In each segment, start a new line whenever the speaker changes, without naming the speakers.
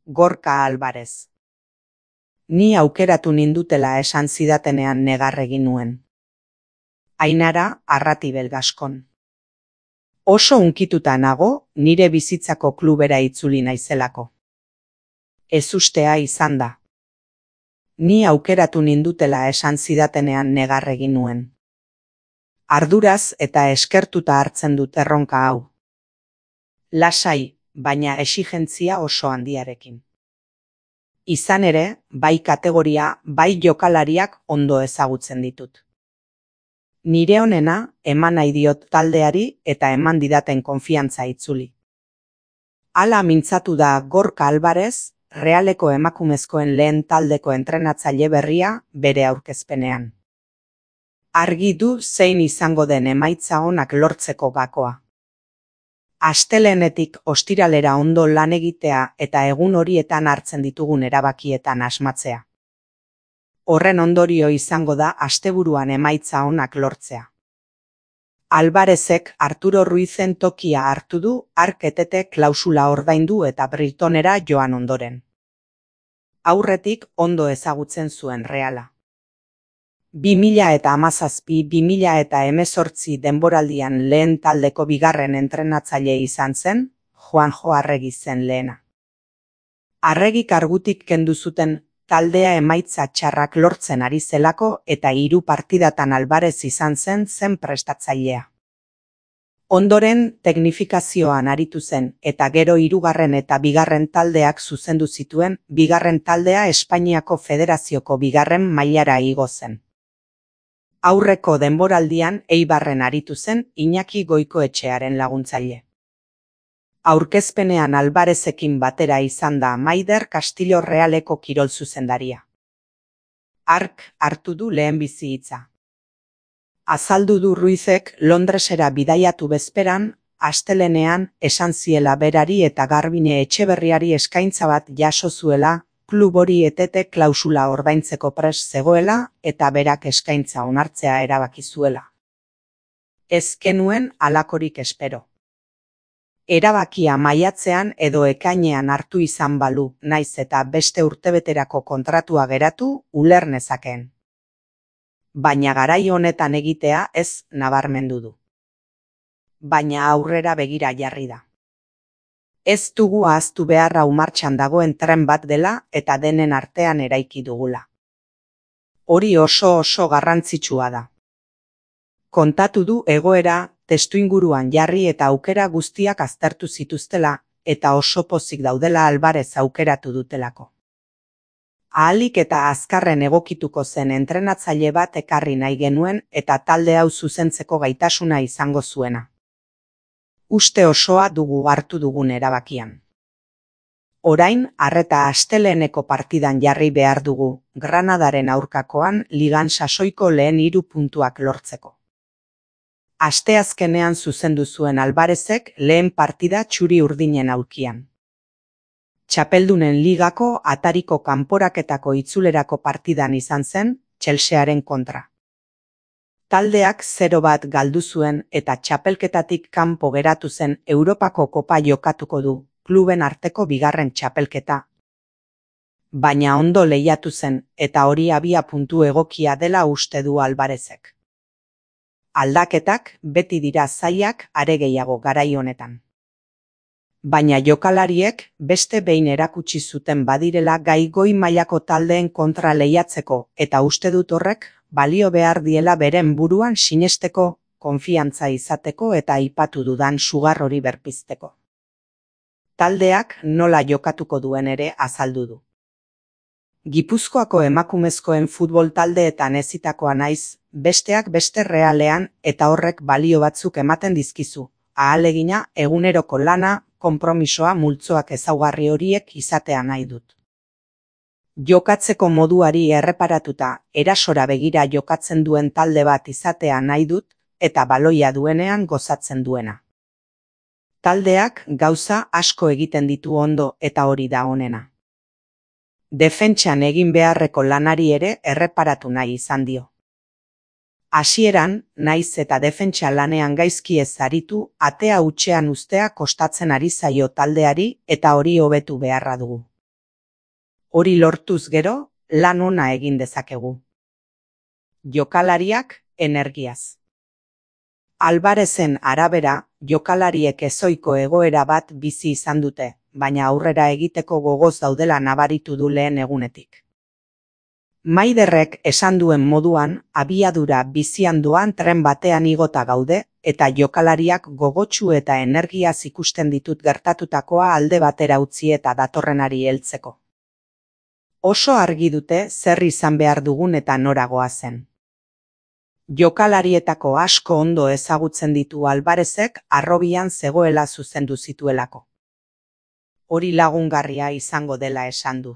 Gorka Alvarez. Ni aukeratu nindutela esan zidatenean negar egin nuen. Ainara Arratibel Gaskon. Oso hunkituta nago nire bizitzako klubera itzuli naizelako. Ezustea izan da. Ni aukeratu nindutela esan zidatenean negar egin nuen. Arduraz eta eskertuta hartzen dut erronka hau. Lasai, baina exigentzia oso handiarekin. Izan ere, bai kategoria, bai jokalariak ondo ezagutzen ditut. Nire onena eman nahi diot taldeari eta eman didaten konfiantza itzuli. Hala mintzatu da Gorka Alvarez, Realeko emakumezkoen lehen taldeko entrenatzaile berria bere aurkezpenean. Argi du zein izango den emaitza onak lortzeko gakoa. Astelehenetik ostiralera ondo lan egitea eta egun horietan hartzen ditugun erabakietan asmatzea. Horren ondorio izango da asteburuan emaitza onak lortzea. Alvarezek Arturo Ruizen tokia hartu du hark etete klausula ordaindu eta Brightonera joan ondoren. Aurretik ondo ezagutzen zuen Reala. 2017-2018 denboraldian lehen taldeko bigarren entrenatzaile izan zen, Juanjo Arregi zen lehena. Arregik kargutik kendu zuten taldea emaitza txarrak lortzen ari zelako eta 3 partidatan Alvarez izan zen prestatzailea. Ondoren teknifikazioan aritu zen eta gero 3. eta 2. taldeak zuzendu zituen, 2. taldea Espainiako Federazioko 2. mailara igo zen. Aurreko denboraldian Eibarren aritu zen Iñaki Goikoetxearen laguntzaile. Aurkezpenean Alvarezekin batera izan da Maider Castillo Realeko kirol zuzendaria. Hark hartu du lehenbizi hitza. Azaldu du Ruizek Londresera bidaiatu bezperan, astelehenean esan ziela berari eta Garbine Etxeberriari eskaintza bat jaso zuela, klub hori etete klausula ordaintzeko prest zegoela eta berak eskaintza onartzea erabaki zuela. Ez genuen halakorik espero. Erabakia maiatzean edo ekainean hartu izan balu, naiz eta beste urtebeterako kontratua geratu, uler nezakeen. Baina garai honetan egitea ez nabarmendu du. Baina aurrera begira jarri da. Ez dugu ahaztu beharra martxan dagoen tren bat dela eta denen artean eraiki dugula. Hori oso garrantzitsua da. Kontatu du egoera testuinguruan jarri eta aukera guztiak aztertu zituztela eta oso pozik daudela Alvarez aukeratu dutelako. Ahalik eta azkarren egokituko zen entrenatzaile bat ekarri nahi genuen eta talde hau zuzentzeko gaitasuna izango zuena. Uste osoa dugu hartu dugun erabakian. Orain, arreta asteleheneko partidan jarri behar dugu, Granadaren aurkakoan ligan sasoiko lehen 3 puntuak lortzeko. Asteazkenean zuzendu zuen Alvarezek lehen partida txuri urdinen aulkian. Txapeldunen ligako atariko kanporaketako itzulerako partidan izan zen, Chelsearen kontra. Taldeak 0-1 galdu zuen eta txapelketatik kanpo geratu zen Europako kopa jokatuko du, kluben arteko 2. txapelketa. Baina ondo lehiatu zen eta hori abia puntu egokia dela uste du Alvarezek. Aldaketak beti dira zailak are gehiago garai honetan. Baina jokalariek beste behin erakutsi zuten badirela gai goi mailako taldeen kontra lehiatzeko eta uste dut horrek balio behar diela beren buruan sinesteko, konfiantza izateko eta aipatu dudan sugar hori berpizteko. Taldeak nola jokatuko duen ere azaldu du. Gipuzkoako emakumezkoen futbol taldeetan ezitakoa naiz, besteak beste Realean eta horrek balio batzuk ematen dizkizu, ahalegina, eguneroko lana, konpromisoa multzoak ezaugarri horiek izatea nahi dut. Jokatzeko moduari erreparatuta erasora begira jokatzen duen talde bat izatea nahi dut eta baloia duenean gozatzen duena. Taldeak gauza asko egiten ditu ondo eta hori da onena. Defentsan egin beharreko lanari ere erreparatu nahi izan dio. Hasieran, naiz eta defentsa lanean gaizki ez aritu, atea hutsean uztea kostatzen ari zaio taldeari eta hori hobetu beharra dugu. Hori lortuz gero, lan ona egin dezakegu. Jokalariak energiaz. Alvarezen arabera, jokalariek ezohiko egoera bat bizi izan dute, baina aurrera egiteko gogoz daudela nabaritu du lehen egunetik. Maiderrek esan duen moduan, abiadura bizian doan tren batean igota gaude, eta jokalariak gogotsu eta energiaz ikusten ditut gertatutakoa alde batera utzi eta datorrenari heltzeko. Oso argi dute zer izan behar dugun eta nora goazen. Jokalarietako asko ondo ezagutzen ditu Alvarezek harrobian zegoela zuzendu zituelako. Hori lagungarria izango dela esan du.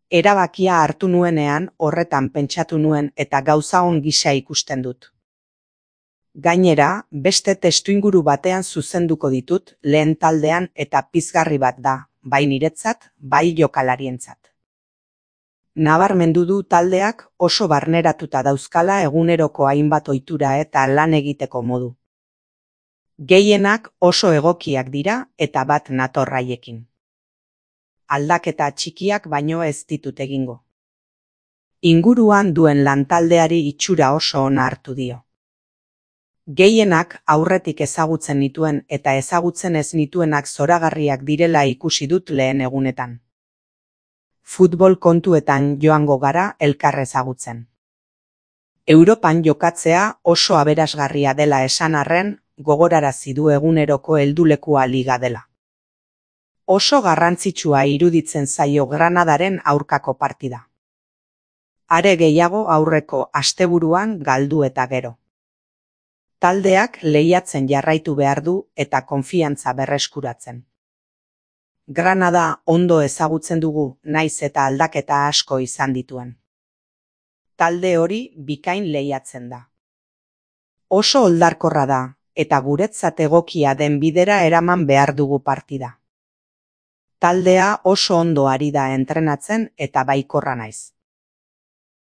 Erabakia hartu nuenean horretan pentsatu nuen eta gauza on gisa ikusten dut. Gainera, beste testuinguru batean zuzenduko ditut lehen taldean eta pizgarri bat da, bai niretzat, bai jokalarientzat. Nabarmendu du taldeak oso barneratuta dauzkala eguneroko hainbat ohitura eta lan egiteko modu. Gehienak oso egokiak dira eta bat nator haiekin. Aldaketa txikiak baino ez ditut egingo. Inguruan duen lantaldeari itxura oso ona hartu dio. Gehienak aurretik ezagutzen nituen eta ezagutzen ez nituenak zoragarriak direla ikusi dut lehen egunetan. Futbol kontuetan joango gara elkar ezagutzen. Europan jokatzea oso aberasgarria dela esan arren, gogorarazi du eguneroko heldulekua liga dela. Oso garrantzitsua iruditzen zaio Granadaren aurkako partida. Are gehiago aurreko asteburuan galdu eta gero. Taldeak lehiatzen jarraitu behar du eta konfiantza berreskuratzen. Granada ondo ezagutzen dugu, naiz eta aldaketa asko izan dituen. Talde hori bikain lehiatzen da. Oso oldarkorra da, eta guretzat egokia den bidera eraman behar dugu partida. Taldea oso ondo ari da entrenatzen eta baikorra naiz.